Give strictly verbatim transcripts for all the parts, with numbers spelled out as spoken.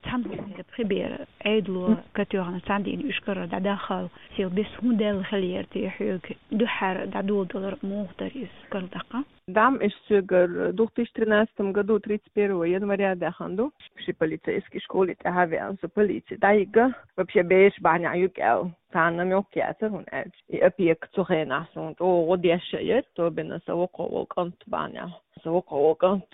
Цхьана хӀусамда пхи бер Ӏедало катоьхна цхьана дийнахьа Ишколера дӀадахал, сел бес хӀун даьлла хиллера те хьоьга, дуьххьара дӀадоладалар муха дара иза Ишколе тӀаккха? ДӀа-м иштта соьгара две тысячи тринадцатом году тридцать первого января даьхна ду. Ши полицейский школе тӀа хьавеана со полице дӀайига. Вообще бераш бахьанехьа юкъа аьлла, царна мелкий яцара, хӀунда аьлча и опека цу хенахь суна чӀогӀа гӀо деш а яр, особенно сан воккхагӀа вола кӀант бахьанехьа. Сан воккхагӀа вола кӀант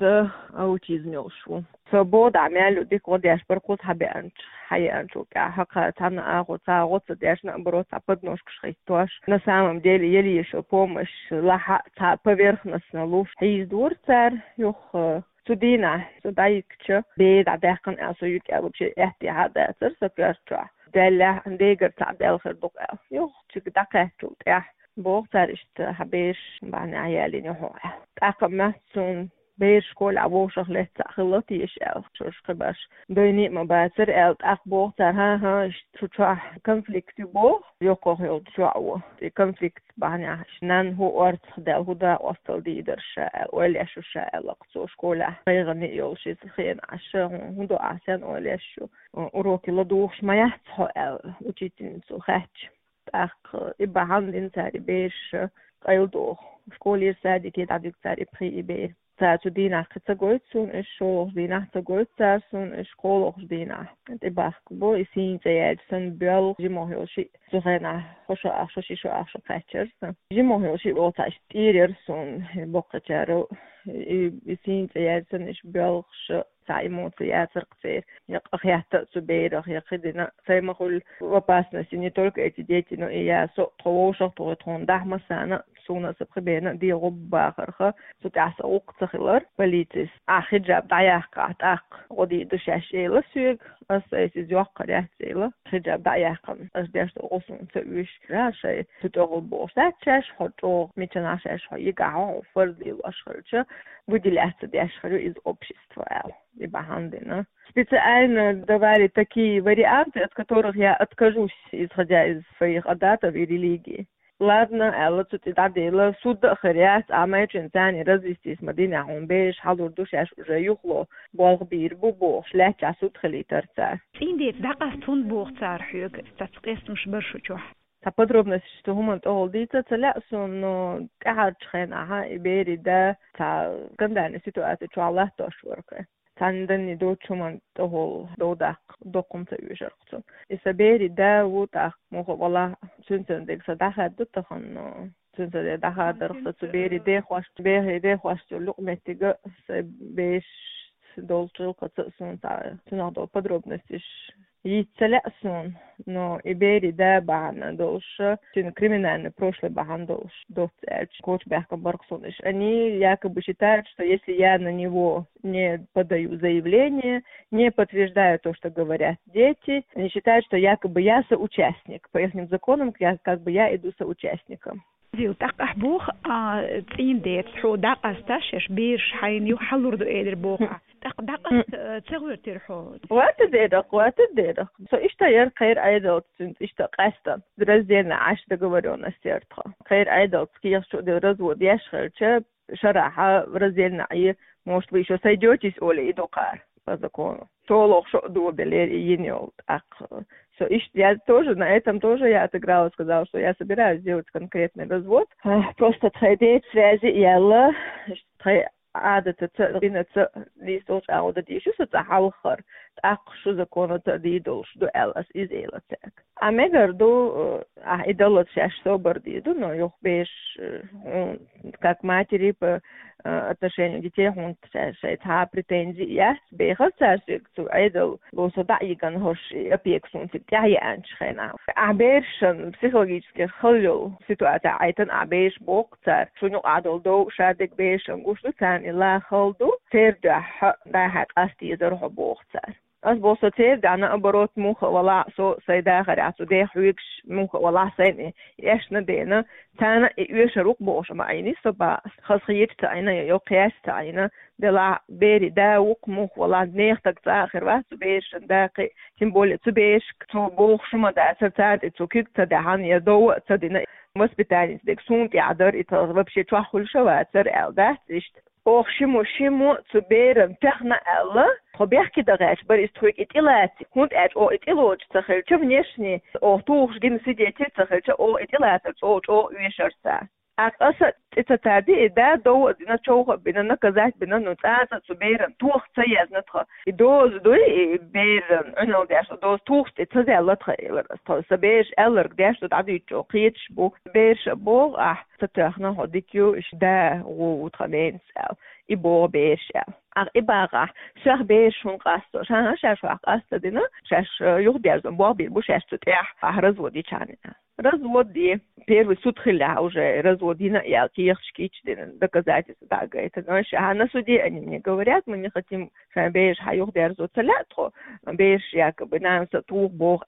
аутизм йолуш ву. Со боху дӀа мел ю дика гӀо деш бара кхуза хьабеанчу, хьаеанчул тӀаьхьа, хӀокхара цхьана агӀо, цхьа гӀо ца деш, наоборот, цхьа подножкаш хӀиттош. На самом деле, еле ещё помощь лахьа а цхьа поверхностно луш хьийзадора цара, юха, э, цу дийнахь со дӀайигча, бер дӀадаьккхина аьлла, со юкъа аьлла вообще аьттехьа а дацара сан коьрта чохь. Даьллехь, дегара цхьаъ даьлла хир ду-кх аьлла. Юха цига дӀакхаьччул тӀаьхьа, боху цара, иштта хьан бераш бахьанехьа ялийна ю хьо аьлла. ТӀаккха моьтту суна, бераш школехь вовшах лаьцна цхьаъ хилла теша аьлла. Шуьша кхин баш дойна а ма бацара аьлла, тӀаккха боху цара: «ХӀан-хӀа, иштта шу чохь конфликт ю», — боху, йоккхах йолчу чохь ву. И конфликт бахьанехь, иштта нанна хӀун орцахдаьлла, хӀун дакъосталла дийр дара ша аьлла, ойла еш ю ша аьлла-кх цо школехь. ГӀайгӀане а йолуш иза хенахь, ша хӀун, хӀун до ахь, сенна ойла еш ю? Уроки ладугӀуш ма яц хьо аьлла, учительница хаьттича. ТӀаккха и бахьана дина цара и бераш къайладоху. Школера садике дӀадуьгу цара и пхи и бер. Цара цу дийнахь кхин ца гойту суна уьш, шолгӀачу дийнахь ца гойту цара суна уьш, кхоалгӀачу дийнахь тӀебахка бу, и сийна цӀе яьлча санна боьлху, жимах йолу шиъ, цу хенахь хӀокху шо ах шо, ши шо ах шо кхаьчнера сан. Жимах йолу шиъ вовшахтоьхча тӀера яра суна, боккхачара, и, и сийна цӀе яьлча санна уьш боьлхуш, цхьа эмоци яцара-кх церан. Я къахетта а цу берах, я кхин дина а, сайн ма-хуьллу в опасности не только эти дети, но и я со а, тхо вовшах а тухий, тхуна дахьа массарна а, суна а, сан пхи берна а дегӀо бахарх, цу тӀехь сан гӀуллакх ца хилар. Полицис: «Ахь хиджаб дӀаяккхахь, тӀаккха гӀо дийр ду шаьш», — элира соьга. Ас айса иза йоккхур яц, элира. Хиджаб дӀа а яьккхина, ас деш долу гӀо суна ца оьшу. Ша шайн цу тӀехула бохуш дац шаьш, хьо чӀогӀа мичанахь шаьш хьо йигахь, хьо фарз лелош хилча, выделяться деш хир ю иза общество аьлла, и бахьана дина. Специально давали такие варианты, от которых я откажусь, исходя из своих адатов и религии. Ладно, аьлла, цу тӀе дӀадийла, суд а хир яц, амма чуьнца царна развестись ма динехь, хьуна бераш хьалур ду шаьш уже юхало, болх бийр бу бохуш, лаьттачохь суд хилийтара цара. ЦӀийндеца дӀакъаста хӀунда боху цара хьоьга, цхьацца къестамаш бара шу чохь? Цхьа подробносташ цу хӀуманна тӀехула дийца ца лаьа суна, но тӀаьхьарчу хенахь и берийн да цхьа скандальни ситуаци чохь латтош вара-кх. Цхьана данне доцучу хӀуманна тӀехула дов даккха доккха хӀума ца оьшура-кх цунна. И сан берийн да ву тӀаккха, муха а валахь, цуьнца дерг сан дӀахаьдда тахана, но цуьнца дерг дӀахадарх сан цу берийн дехошца, берийн дехошца йолу юкъаметтиг а, сайн бераш долчу гӀиллакхаца а суна цхьа цунах долу подробносташ йийца ца лаьа суна, но и берийн да бахьана долуш, цуьнан криминальный прошлый бахьана долуш доцца аьлча, коча баьхкина бара-кх суна уьш. Они якобы считают, что если я на него не подаю заявление, не подтверждаю то, что говорят дети, они считают, что якобы я соучастник. По ихним законам, я, как бы я иду соучастником. Зил, тӀаккха ахь боху, а, цӀийндеца хьо дӀакъаста шаьш бераш хьайна юха хьалур ду элира боху ахь. ТӀаккха дӀакъаста, а, ца гӀоьртира хьо? Ватадерах, ватадерах. Со иштта яра кхеран Ӏедалца цуьнца иштта къаьстина. Раздельно Ӏаш договорённость яра тхан. Кхеран Ӏедалца кехат чу а делла развод еш хилча, шарахь раздельно Ӏе, может, вы ещё сойдётесь, олий, и дукхара по закону. ШолгӀа шо а добелира и йина йолу тӀаккха. Со иштта, я тоже на этом тоже я отыграла, сказала, что я собираюсь сделать конкретный развод. А, просто тхайн деца связи яьлла, тхайн Ӏадатаца, динаца нийса долчу агӀо дан дийш ю со цкъа хьалхара, тӀаккха шу законаца а дийр долуш ду аьлла, ас иза элира цаьрга. Ӏа мегар ду, э, ахь и даллалц шаьш собар дийр ду, но юха бераш, э, хьуна, как матери по, э, отношению детей, хьуна ша-, шайн цхьа а претензи яц, бехара цара соьга цу Ӏедал ло со дӀа а йигна хӀорш и опека суна цига тӀаьхьа еанчу хенахь. Ахь берашна психологически хала йолу ситуацехь Ӏайтина ахь бераш, боху цара. Шуна юкъахь долу дов ша дерг берашна гуш ду, царна и ла хала ду, церан дуьхьа дӀа-хьа къаста езара хьо, боху цара. Ас боху, со церан дуьхьа, наоборот, муха а валахь, со сайн дахарехь цу дех хьоьгуш муха а валахь, сайна и эшна а деана, царна и оьшур ву-кх бохуш ма Ӏийни со бах. Хаза хеташ ца Ӏийна, я йоккха яц ца Ӏийна, делахь берийн да ву-кх муха а валахь, нехан стаг цкъа а хир вац цу берашна да кхин, тем более цу берашка цо бохуш ма дацара, царна тӀе цо куьг ца даьхьна, я дов а ца дина, воспитаница дерг суна тӀехь дара, и тхан вообще чохь хуьлуш а вацара аьлла дац иштта. Оха ши мо, ши мо цу берана тоьхна аьлла, тхо бехке дан гӀерташ бара, из тхоьга и тӀелаца. ХӀунда аьлча оха и тӀелоцуш ца хилча, внешне оха тухуш гина свидетель ца хилча, оха и тӀелацар чӀогӀа-чӀогӀа оьшура царна. ТӀаккха аса тӀе ца тардира, и да дов а дина, човха а бина, наказать бина, ну, цкъа а цу берана тоха ца езна тха. И доза дуй, и берана Ӏуналла деш, доза тухуш тӀе ца даьлла тха, элира аса. Тхо, сан бераша аьлларг деш ду, дӀадуьйцучо кхеташ бу. Бераша боху ахь, ца тоьхна хьо дика ю, иштта да гӀо ву тхан ненас аьлла. И боху бераша аьлла. Ахь и бахахь, шех бераш хӀунда къасто? Шаьш, шаьш хьох къастадина, шаьш, э, юхадерзо болх бийр бу шаьш цу тӀехь, ахь развод йичхьана. Развод де. Первый суд хилла уже, развод йина а яьлла, кехаташ кийчдина, доказательства дӀагайтина. Ша, на суде они мне говорят, мы не хотим, шайн бераш хьан юхадерзо ца лаьа тхо, бераш якобы нанас а туха боху.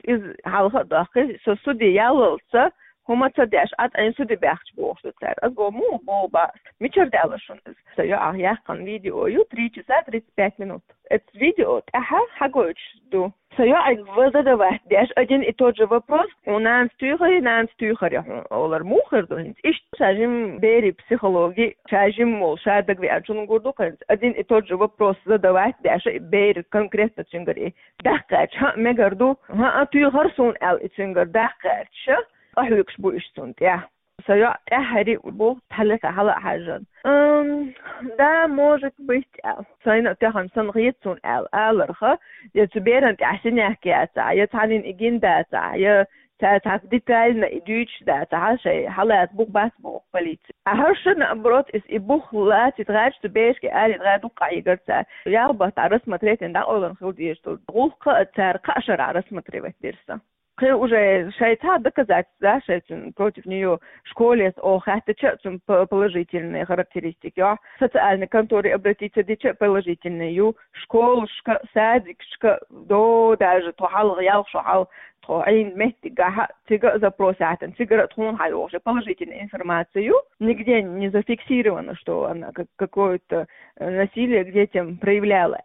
Иза хьалха а доккхий, со суде яллалца, хӀума ца деш, а тӀайн суде баьхча бохуш ду цара. Ас боху, муха боху бац? Мичара даьлла шуна иза? Сан йоӀах яьккхина видео ю, три часа тридцать пять минут. Эцу видео тӀехьа хьагойтуш ду. Сан йоӀанга задавать деш один и тот же вопрос: хьуна нанас туьйхарий, нанас туьйхарий хьуна, олар муха хир ду хӀинца? Иштта ша жима берийн психологи, ша жима волу, ша дагавеанчунна гур ду хӀинца. Один и тот же вопрос задавать деш, и бер конкретно цуьнгара и даккха гӀерташ, хӀаъ, мегар ду, хӀаъ, туьйхара суна аьлла, и цуьнгара даккха гӀерташ, къахьоьгуш бу иштта цунна тӀехь. Сан йоӀ тӀаьххьара а бу, хьалха хьала а хьаьжжина. Ам, да, может быть, аьлла. Сайна а тоьхна санна хета суна аьлла, аларха, я цу берана тӀехь синяк яцахь, я цхьанна и гина дацахь, я цара цхьацца детально и дуьйцуш дацахь, шайн хьалаца бух бац боху полици. А хӀара ша, наоборот, иза и бух лацийта гӀерташ, цу берашка аьлийта гӀерташ дукха къахьийгар цара. Ялх баттахь рассмотреть дина дӀакъовлина хила дезаш долу гӀуллакх а цара кхаа шарахь рассматривать дира сан. Кхин уже шайн цхьа доказательства, да, шайн цуьнан против неё школе оха хаьттича а цуьнан п-, положительные характеристики, йо. Социальной конторе обратиться дича а положительные ю, школашка, садикашка, до даже тхо хьалха, ялх шо хьалха, тхо Ӏийна меттигехь а, цига а запрос яьхьна, цигара а тхуна хьайогӀуш, положительная информация ю, нигде не зафиксировано, что она как-, какое-то, э, насилие к детям проявляла.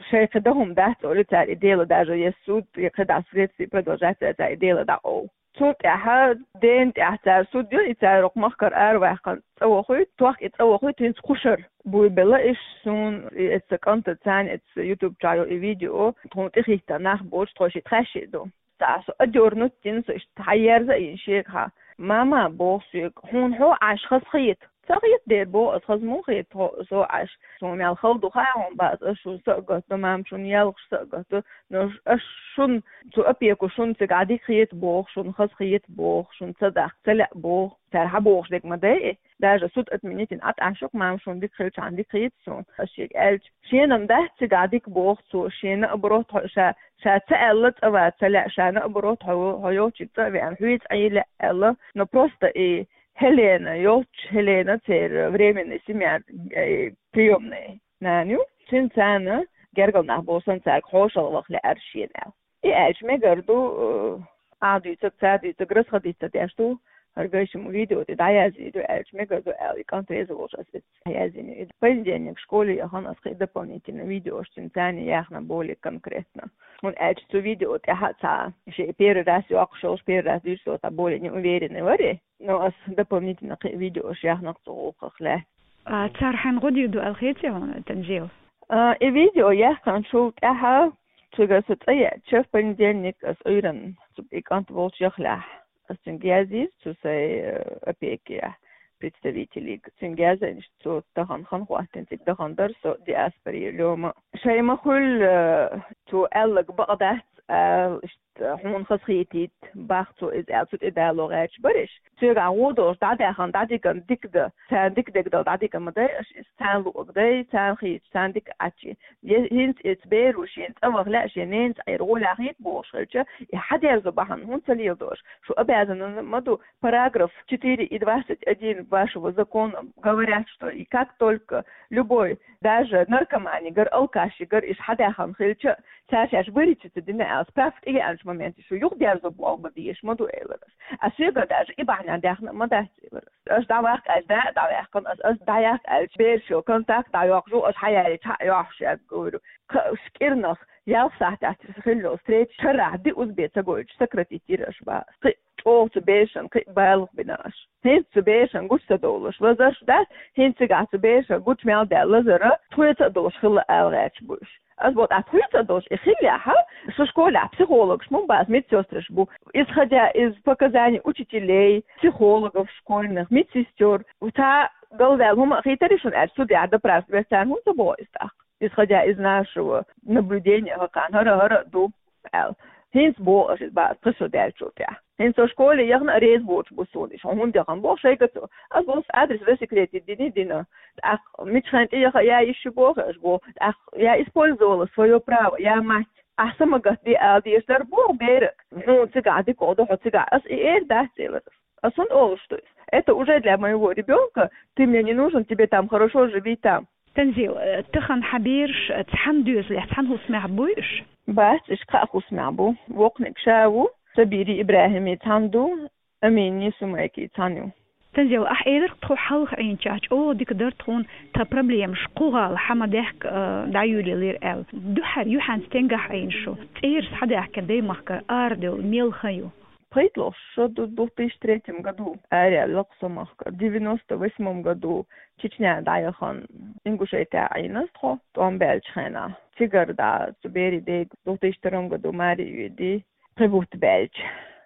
Шайн кхин дан хӀума дац олий цара, и дело даже есть суд, и кхидӀа следствие продолжается, цара и дело дӀакъовла. Цул тӀаьхьа дена тӀехь цара суд йо, и цара окху махкара араваьккхина цӀа вохуьйту, тохка и цӀа вохуьйту хӀинца кху шарахь. Буй белла иш суна, и эцу кӀантаца, царна эцу YouTube чохь йолу и видео, тхуна тӀехӀиттина нах боцуш, тхо шийтта хьаьшший ду. Цхьа со одёрнуть дина, со иштта хьаерза а йина шегахь. Мама, боху соьга, хьуна хьо Ӏаш хазахета? Ца хета дера, боху ас, хаза муха хета хьо, со Ӏаш? Суна мел хала ду хаьа хьуна бац, ас шуна са а гатду, мама шуна ялх са а гатду, но аш шуна, цу опеку шуна цигахь дика хета боху, шуна хаза хета боху, шуна ца дахка ца лаьа боху. Цара хьан бохуш дерг ма дайа, даже суд отменить йина Ӏа тӀе Ӏаш ю-кх, мама шуна дика хилчахьана дика хета суна, ас шега аьлча. Шена-м дац цигахь дика боху цо, шена а баро тхо ша, ша ца аьлла цӀа ван ца лаьа, шена а баро тхо, хьо йолчу цӀа а веана, хьоьца Ӏе лаьа аьлла, но просто и Хелена, йолчу Хелена церан временный семья, э, приёмный нана ю. Цуьнан царна гергал нах болу санна цаьрга хьошалгӀа ваха лаьара шена аьлла. И аьлча мегар ду, э, ахь дуьйцург, цара дуьйцург расходиться деш ду, хӀара гайшимма видео тӀе дӀаяздийр ду аьлча мегар ду аьлла, и кӀант реза волуш ас иза дӀаяздина. И понедельник школе яхана ас кхин дополнительно видеош цуьнан царна яьхна более конкретно. ХӀунда аьлча цу видео тӀехь а цхьа шен первый раз йоккхуш йолуш, первый раз дуьйцуш йолуш цхьа более неуверенный вара. Но ас дополнительно кхин видеош яьхна-кх цу гӀуллакхах лаьцна. А цара хьайна гӀо дийр ду аьлла хетий хьуна, Танжил? А, и видео яьккхинчул тӀаьхьа цуьнга аса цӀа еача, в понедельник ас Ӏуьйранна цу и кӀант волчу яхлехь, ас цуьнга яздийра, цу сайн, э, опекехь представителига. Цуьнга яздина, цо тахана хан хӀоттийна, цига дахана дара со диаспоре лоьма. Шайн ма хуьллу, э, цо аьлларг бакъ дац аьлла, иштта хьуна хазахетийта боху цо иза аьлла, цу тӀе дало гӀерташ бара иш. Соьгахь гӀо долуш дӀадаьхна, дӀадигна дика дан, царна дика дегдала дӀадигна ма дай аш иза, царна луъург дай, царна хеташ, царна дика Ӏачий. Е-, хӀинца иза беро шена цӀа ваха лаьа, шен ненца Ӏера гӀолехь хета бохуш хилча, и хьадерзо бахьана хӀунда ца леладо аша? Шу обязаны ма ду, параграф четыре и двадцать один вашего закона говорят, что и как только любой, даже наркоманигара, алкашигара иш хьадаьхна хилча, цара шаьш вырици ца дина аьлла, справка тӀевеанчу моменте шу юхадерзо болх бан дезаш ма ду, элира ас. А соьга даже и бахьана даьхна а ма дац, элира ас. Аш дӀаваккха аьлча, да а дӀаваьккхина ас, ас дӀаяккха аьлча, берашал контакт дӀайоккхуш ву, аш хьаяьлча хьа а йохьуш яц, говорю. Кхаа кӀирнах ялх сахьтехь хилла йолу встреча шарахь диъ узбе ца гойтуш сократить йира аш боху. Кхин Оха цу берашна кхин а балха бина аш. ХӀинца цу берашна гуча ца довлуш лазарш дац, хӀинца цигахь цу берашна гуча мел даьлла лазар тхоьца а долуш хилла ала гӀерташ бу уьш. Ас боху, тхьа тхоьца а долуш и хиллехь, шу школехь психологаш ма бу, ас медсестраш бу. Исходя из показаний учителей, психологов школьных, медсестёр, цхьа галваьлла хӀума а хийтарий шуна аьлча, судехь допрашивать царна хӀунда ца боху иза тӀаккха? Исходя из нашего наблюдения, хӀокхарна хӀара-хӀара а ду аьлла. ХӀинца боху аша иза бац, пхи шо даьллачул тӀаьхьа. ХӀинца со школе яхана а реза воцуш бу суна, иштта хьо хӀунда яхана боху шайга цо. Ас боху, адрес засекретить дина, дина. ТӀаккха мичхьана тӀе яха я йиш ю боху аша боху. ТӀаккха я использовала своё право, я мать. Ахьа са ма гатде ала дезаш дара боху бераг. Хьуна цигахь дика ду, хьо цигахь. Ас и эр дац элира. Ас хӀунда олуш ду иза? Это уже для моего ребёнка, ты мне не нужен, тебе там хорошо, живи там. Танзил, э, тахана хьан бераш, э, цхьана доьзалехь, цхьана хӀусамехь буй уьш? Бац, уьш кхаа хӀусамехь бу. Воккханиг ша ву, Сабири ИбрахӀими цхьана ду, Амини Сумайки цхьана ю. Танзил, ахь элира тхо хьалха Ӏийначохь, чӀогӀа дика дара тхуна тхан проблемаш кху гӀала хьан ма даьхка, э, дӀайолаелира аьлла. Дуьххьара юьхьанца стенгахь Ӏийна шу? ЦӀераш хьан даьхкина даймахкара арадевлла мел хан ю? ПхийтталгӀа шо ду, две тысячи третьем году араяьлла кху со махкара. Девяносто восьмом году Чечня дӀаяхана Ингушетия Ӏийна тхо, тӀом баьллачу хенахь. Цигара дӀа цу берийн дега две тысячи втором году маре йоьдий, пхи бутт баьлча.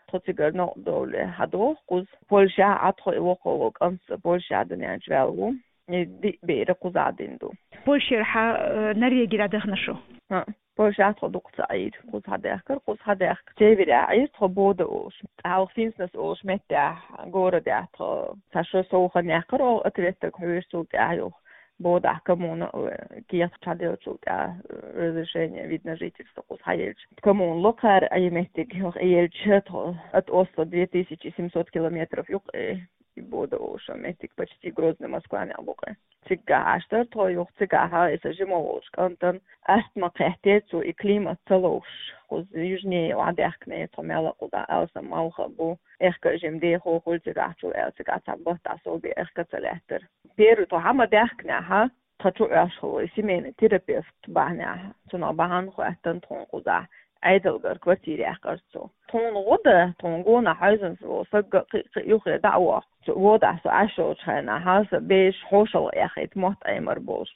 Тхо цигара новкъа довлий хьадоху кхуза. Польшехь а тхо и воккхаво кӀант Польшехь дуьнен чу ваьлла ву. И диъ бер кхузахь дина ду. Польшера хьан, э, Норвеге дӀадахана шу? ХӀаъ. Польшехь тхо дукха ца Ӏийра, кхуза хьадаьхкира, кхуза хьадаьхка. Северехь Ӏийра тхо Бода олуш. ТӀаккха Финснес олуш меттехь, городехь тхо цхьа шо сов хан яьккхира оха ответниг хьоьжуш, цул тӀаьхьа юха Бодахь коммуна, э, кехат хьаделлачул тӀаьхьа, э, разрешение вид на жительство кхуза хьаелча. Коммуна ло кхара и меттиг юха елча тхо, ат Осло две тысячи семьсот километров ю-кх, э, и Бода олуш меттиг почти Грозный, Москванехь бу-кх. Цигахь Ӏаш дара тхо юха, цигахь и сан жима волчу кӀантана астма кхетти, цо и климат ца ловш. Кхуза южнее охьадаьхкинера тхо, мел а кхузахь алсам малх а бу, эхка а жима дехо хуьлу цигахь, чул аьлла цигахь цхьа баттахь сов бен эхка ца лаьттара. Первый тхо хьан ма даьхкинехь, тхан чу Ӏаш хилла и семейный терапевт бахьанехь, цунах бахьана хоьттина тхуна кхузахь, Ӏедалгара квартира яьккхира цо. Тхуна гӀо дан, тхуна гонах хьаьвзина волу саг а кхин а, кхин а юххера дӀа а воккху. Цу водахь со Ӏаш йолчу хенахь, сан бераш хьошалгӀа эхийта, мотт Ӏемар болуш,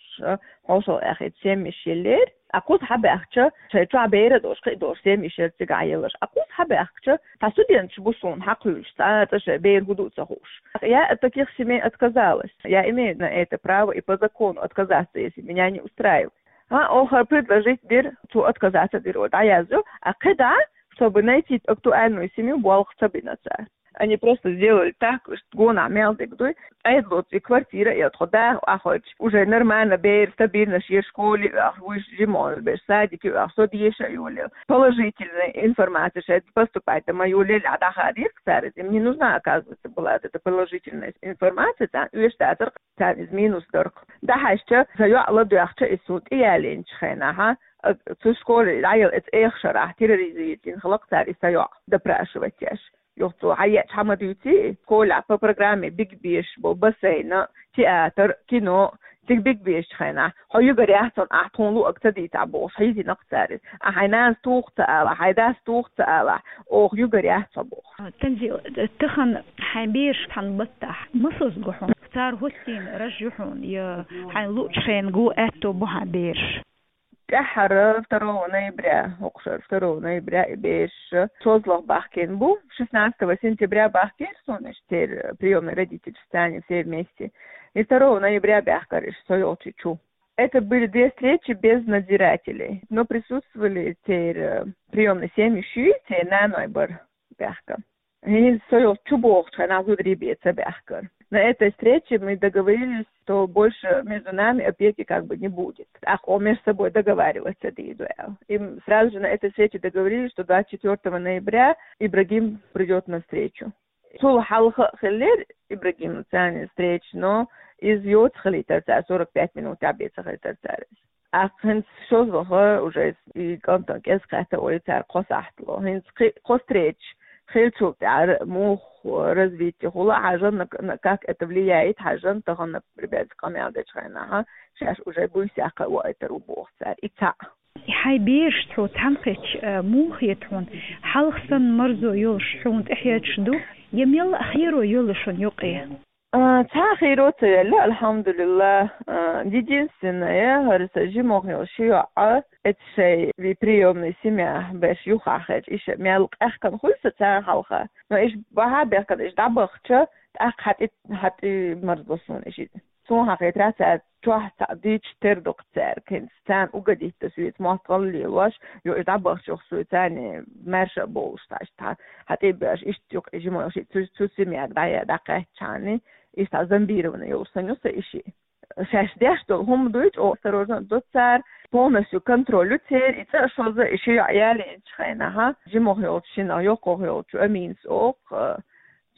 хьошалгӀа эхийта семьяш еллера. Ткъа кхуза хьабаьхкича, шайн чохь бер а долуш, кхин а долуш семьяш яра цигахь елларш. Ткъа кхуза хьабаьхкича, цхьа студенташ бу суна хьакхуьйлуш, цкъа а цкъа шайн бер хӀун ду а ца хууш. Я от таких семей отказалась. Я имею на это право и по закону отказаться, если меня не устраивает. ХӀаъ, оха предложить дира, цо отказаться дира, дӀаязйо, а кхидӀа, чтобы найти актуальную семью, болх ца бина цара. Они просто сделали так, что гонах мел дерг дуй, Ӏедало цу квартира а, я тхо даха Ӏахойтуш, уже нормально бер, стабильно шен школе а оьху, вуьш жима берш садике а оьху, со деша а йолаелла. Положительная информация шайн поступать дан ма йолаелла, а дӀахадийра-кх цара иза. Им не нужна, оказывается, была эта положительная информация, царна оьшуш дацара царна иза минус дар-кх. ДӀахьаьжча, сан йоӀ ладоьгӀча, иза суна тӀеялийначу хенахь, а, цу школе дӀаяла эца эха шарахь терроризировать йина хилла-кх цара и сан йоӀ, допрашивать еш. Юха цо хьаеъча хьан ма дуьйций, школехь по программе бигбеш бу, бассейн, театр, кино, цига бигбешчу хенахь, хьо югар яц хьуна, ахь тхуна луъург ца дийцахь бохуш, хьийзийна-кх цара иза. Ахь хьайн нанас туху ца алахь, хьайн дас туху ца алахь, оха югар яц хьо бохуш. Танзил, тахана хьайн бераш цхьана баттахь масазза гу хьуна? Цара хӀоттийна раж ю хьуна, я хьайна луъучу хенахь гу аьтто бу хьан бераш? ТӀаьххьара второго ноября, хӀокху шарахь второго ноября и бераш шозлагӀа бахкийна бу, шестнадцатого сентября бахкийра суна иштта церан приёмный родительш, царна все вместе. И второго ноября баьхкира иштта со йолчу чу. Это были две встречи без надзирателей, но присутствовали церан, э, приёмный семьи шуьйра, церан наной бара баьхка. ХӀинца со йолчу чу бохучу хенахь зударий бен ца баьхкара. На этой встрече мы договорились, что больше между нами опеки как бы не будет. ТӀаккха оха между собой договариваться дийр ду аьлла. И мы сразу же на этой встрече договорились, что двадцать четвёртого ноября Ибрагим придёт на встречу. Цул хьалха а хиллера Ибрагимца царна встреча, но иза йоцу хилийтар цара, сорок пять минут тӀехь бен ца хилийтар цара иза. ТӀаккха хӀинца шозлагӀа уже и кӀантана кӀезиг кхетта олий цара кхо сахьтало. ХӀинца кхи-, кхо встреча хиллачул тӀаьхьа муха развитие хуьлу а хьажа, на, на, как это влияет хьажа, тахана, например, къамел дечу хенахь, шаьш уже буьйсехь кхайкхийтар ву боху цара. И цхьаъ. Хьай бераш цо цхьаьнакхетча, а, муха хета хьона? Хьалха санна марзо йолаш хьона тӀехьедаш ду, е мел а хийро йолаш шун юкъе? А, цхьа а хийро ца яьлла, альхьамдулиллахӀ. А, единственное, хӀара са жимох йолу ши йоӀ, эца шайн вай приёмный семья берш юхахьерча, иша мел къехкана хуьлу сан царна хьалха. Но иша бахьа бехкана, иша дӀабахча, тӀаккха хьатӀи, хьатӀи марзло суна иша. Суна хьахетарехь, цара чохь цхьаъ дийцча тера ду-кх цаьрга, хӀинца царна угодить дан соьца, мотт гӀалла лелош, йо, иша дӀабахча юха соьца царна маьрша а бовлуш, цхьа иштта хьатӀе а беш, иштта юкъа жимох шиъ цу, цу семьяга дӀа-, дӀакхаьчча, иштта зомбированный йолуш санна ю сан иша. Шаьш деш долу хӀума дуй, чӀогӀа осторожно а до цара, полностью контроль ю церан, и цӀа а шозза, и ши йоӀ ялийначу хенахь, жимох йолчу шиннах йоккхах йолчу Аминас олу, а,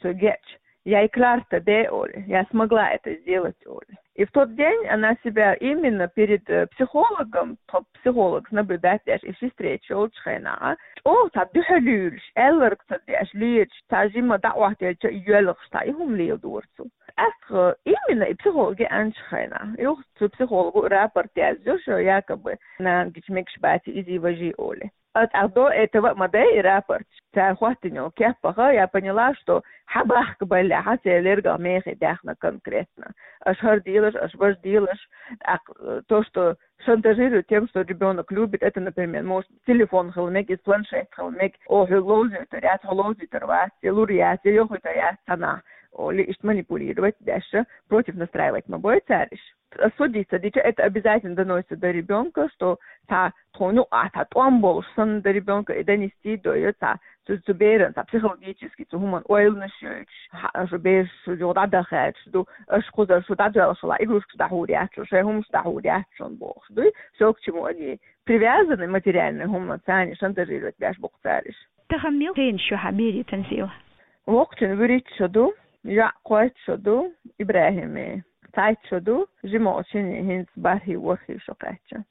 цу геча: «Я и Кларта де», олу, «я смогла это сделать», олу. И в тот день она себя именно перед, э, психологом, тхо психологс наблюдать деш, и ши встреча йолчу хенахь, чӀогӀа цхьа дуьхьал луьйлуш, аьлларг ца деш, леташ, цхьа жима дӀа а Ӏоттаелча, йоьлхуш, цхьа и хӀума леладора цо. ТӀаккха именно и психолог еанчу хенахь, юха цу психолого рапорт язйо, шо якобы нана гича мегаш баций, изий, важий олий. А тӀаккха до этого а ма дай и рапорт. Цара хӀоттийна йолу кеппаха, я поняла, что хьан бахка баллехь, хьан церан лергах мехе даьхна конкретно. Аша хӀара делаш, аша важа делаш. ТӀаккха, э, то, что шантажирует тем, что ребёнок любит, это, например, может телефон хила мега, из планшет хила мега, о, хьо ловзуьйтур яц, хьо ловзуьйтур вац, я лур яц, я йохуьйтур яц цхьаннахь, олий, иштта манипулировать деш, против настраивать ма бой цара иша. Судиться дича, это обязательно доносится до ребёнка, что цхьа тхуна юкъахь цхьа тӀом болуш санна до ребёнка и донести дойо цхьа цу, цу беран цхьа психологически цу хӀуманна ойланаш йойтуш, хьа, аша бераш шу юха дӀадахаьрчаш ду, аша кхузара шу дӀадоьлхуш хилахь, игрушкаш дӀахьур яц шун, шайн хӀуманаш дӀахьур яц шун бохуш дуй, всё, к чему они привязаны материальный хӀуманца, царна шантажировать беш бу-кх цара иша. Тахана мел хенаш ю хьан берийн, Танзила? Воккхачун вуьрхӀитта шо ду, йоӀ кхойтта шо ду, ИбрахӀимин цхьайтта шо ду, жимачу шиннан хӀинца бархӀий, ворхӀий шо кхаьчна.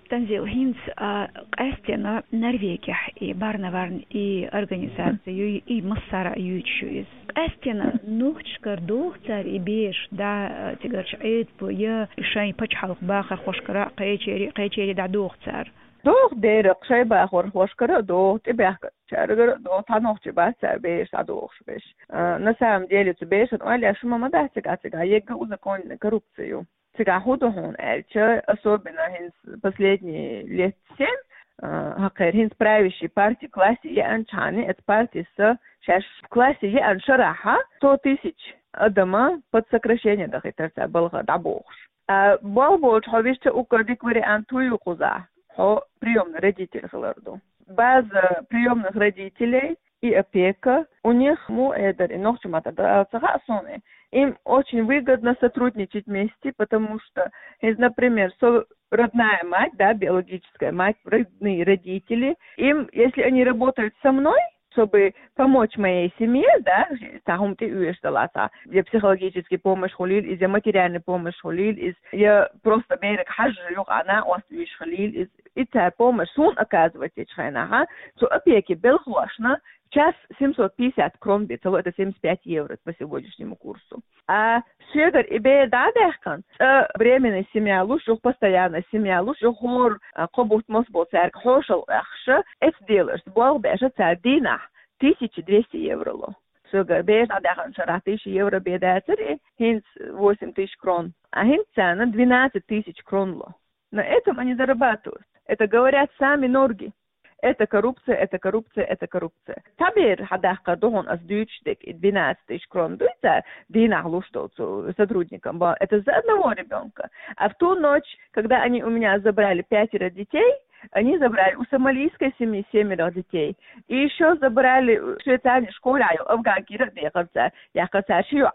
Танзила, хӀинца, а, къаьстина Норвегехь и Барневарн и организаци ю, и массара а юьйцуш ю иза. Къаьстина нохчашкара доху цара и бераш дӀа, а, цигарчу Ӏедало я шайн пачхьалкхан бахархошкара а, кхечерий, кхечерий дӀадоху цара? Доху, дера, шайн бахархошкара а доху, тӀебаьхкинчаьргара а доху, цхьа нохчий бац цара бераш дӀадохуш берш. А, на самом деле, цу берашна ойла еш хӀума ма дац цигахь, цигахь ерриге узаконенная коррупция ю. Цигахь хӀун ду хьуна аьлча, особенно хӀинца последние лет семь, а, хӀокхеран хӀинца правящий парти классе еанчхьана, эцу партис шаьш классе еанчу шарахь сто тысяч адама под сокращение дахийтар цара балха дӀабохуш. А болх болчу хьо висча, уккар дика вариант вуй кхузахь, хьо приёмный родитель хилар ду. База приёмных родителей и опека, у них, муха эр дара и нохчийн маттахь, ца хаьа суна, им очень выгодно сотрудничать вместе, потому что, если, например, со-, родная мать, да, биологическая мать, родные родители, им, если они работают со мной, чтобы помочь моей семье, да, цхьа хӀума тӀеоьшуш далахь, цхьа я психологический помощь хуьлийла иза, я материальный помощь хуьлийла иза, я просто берега хьажа юкъана ост уьйш хилийла иза, и цара помощь суна оказывать ечу хенахь, цу опеки белхалошна час семьсот пятьдесят крон бен ца ло, это семьдесят пять евро по сегодняшнему курсу. А соьгара и бер дӀа а даьхкина, цкъа временная семья луш, юха постоянная семья луш, юха хӀора, а, кхо бутт массо а болу цаьрга хьошалгӀа баьхкина, эцу деларца болх беш цара дийнахь тысяча двести евро ло. Соьгара бер дӀа а даьхкинчу шарахь тысяча евро бен дацара и, хӀинца восемь тысяч крон. А хӀинца царна двенадцать тысяч крон ло. На этом они зарабатывают. Это говорят сами норги. Это коррупция, это коррупция, это коррупция. Цхьа бер хьадаккхар ду хьуна ас дуьйцуш дерг, и двенадцать тысяч крон дуй цара дийнахь луш долу цу сотрудникам. Ба-, это за одного ребёнка. А в ту ночь, когда они у меня забрали пятеро детей, они забрали у сомалийской семьи семеро детей. И ещё забрали, э, швейцарни школе, афганкира а дехар цара, яхкар цара ши йоӀ.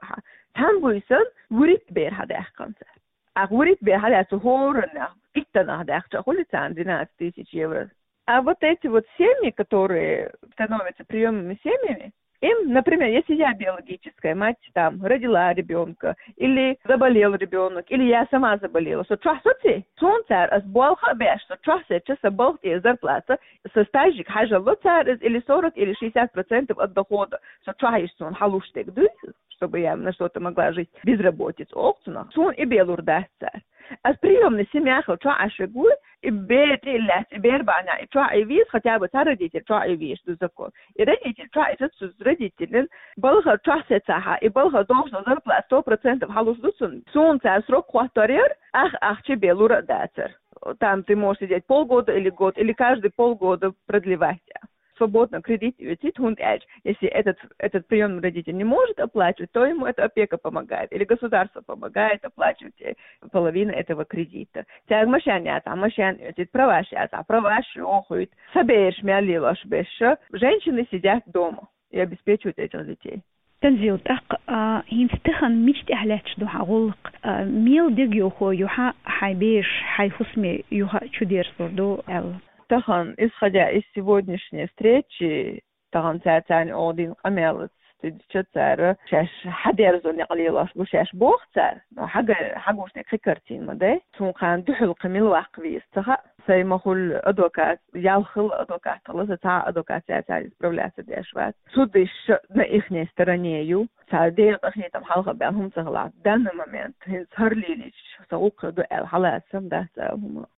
Цхьана буьйсанна вуьрхӀитта бер хьадаьккхина цара. Ахь вуьрхӀитта бер хьалаьцна хӀораннах, иттаннах даьхча хуьлу царна двенадцать тысяч евро. А вот эти вот семьи, которые становятся приёмными семьями, им, например, если я биологическая мать, там, родила ребёнка, или заболел ребёнок, или я сама заболела, со чохь соций, суна цара ас болх а беш, со чохь сецча, сан балха тӀера зарплата, сан стажига хьажалло цара иза или сорок, или шестьдесят процентов от дохода, со чохь иштта суна хьалуш дерг дуй. чтобы я на что-то могла жить, безработица, оха цунах. Суна и бе лур дац цар. Аз приёмный семья хилча Ӏаш ву, и бер тӀе лаьц, и бер бахьана, и чохь и веза, хотя бы цхьа родитель чохь и везаш ду закон. И родитель чохь и ца цу родителин, балха чохь сецахьа, и балха дохуш дан зарплата сто процентов хьалуш ду цунна. Суна цара срок хӀоттор яр, ах, ахча бе лур а дацар. Там ты можешь сидеть полгода или год, или каждые полгода продлевать. Свободно кредит оьцийта, хӀунда аьлча, если этот, этот приёмный родитель не может оплачивать, то ему эта опека помогает, или государство помогает оплачивать, э, половину этого кредита. Цаьрга машен яцахь, машен оьцийта, праваш яцахь, праваш йохуьйту. Са бераш мел лелош берш, женщины сидят дома и обеспечивают этих детей. Танзил, тӀаккха, а, хӀинца тахана мича тӀехь лаьтташ ду хьан гӀуллакх? А, мел дегайовхо ю хьан, хьайн бераш, хьайн хӀусаме юха чудерзалур ду аьлла? Тахана, исходя из сегодняшней встречи, тахана цара царна оха дина къамелаца, тидича цара шаьш хьадерзо некъ лелош бу шаьш боху цара, но хьага-, хьагуш некъ кхин картина ма дай. Цунна кхана дуьхьал кхин мила ваккха веза ца хаьа. Сайн ма хуьлу адвокат, ял хилла адвокат хилла, сан цхьа а адвокат цара исправляться деш вац. Судыш на ихней стороне ю. Цара дера къахетам хьалха баьлла хӀума ца хилахь, данный момент хӀинца хӀара лелийча сан гӀуллакх ду аьлла хьалаца дац цара хӀума.